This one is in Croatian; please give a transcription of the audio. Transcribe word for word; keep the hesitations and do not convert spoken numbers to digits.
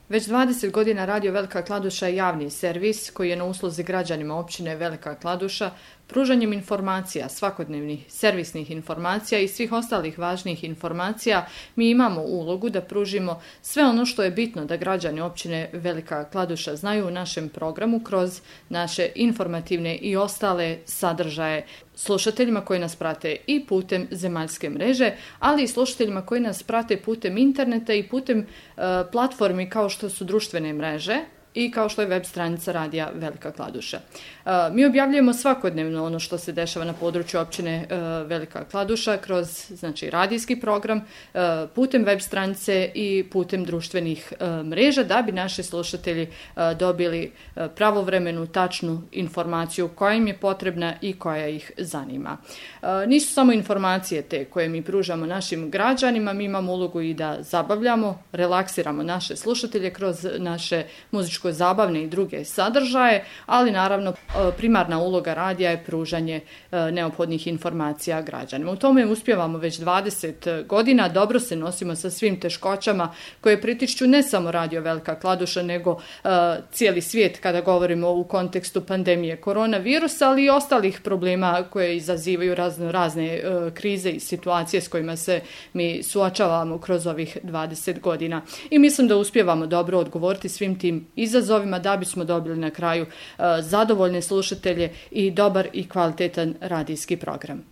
Već dvadeset godina Radio Velika Kladuša je javni servis koji je na usluzi građanima općine Velika Kladuša pružanjem informacija, svakodnevnih servisnih informacija i svih ostalih važnih informacija. Mi imamo ulogu da pružimo sve ono što je bitno da građani općine Velika Kladuša znaju u našem programu kroz naše informativne i ostale sadržaje slušateljima koji nas prate i putem zemaljske mreže, ali i slušateljima koji nas prate putem interneta i putem e, platformi kao što su društvene mreže i kao što je web stranica Radija Velika Kladuša. E, mi objavljujemo svakodnevno ono što se dešava na području općine e, Velika Kladuša kroz znači, radijski program, e, putem web stranice i putem društvenih e, mreža da bi naši slušatelji e, dobili e, pravovremenu, tačnu informaciju koja im je potrebna i koja ih zanima. E, nisu samo informacije te koje mi pružamo našim građanima, mi imamo ulogu i da zabavljamo, relaksiramo naše slušatelje kroz naše muzičko zabavne i druge sadržaje, ali naravno primarna uloga radija je pružanje neophodnih informacija građanima. U tome uspijevamo već dvadeset godina, dobro se nosimo sa svim teškoćama koje pritišću ne samo Radio Velika Kladuša, nego uh, cijeli svijet kada govorimo u kontekstu pandemije koronavirusa, ali i ostalih problema koje izazivaju razno, razne uh, krize i situacije s kojima se mi suočavamo kroz ovih dvadeset godina. I mislim da uspijevamo dobro odgovoriti svim tim izazovima da bismo dobili na kraju uh, zadovoljne slušatelje i dobar i kvalitetan radijski program.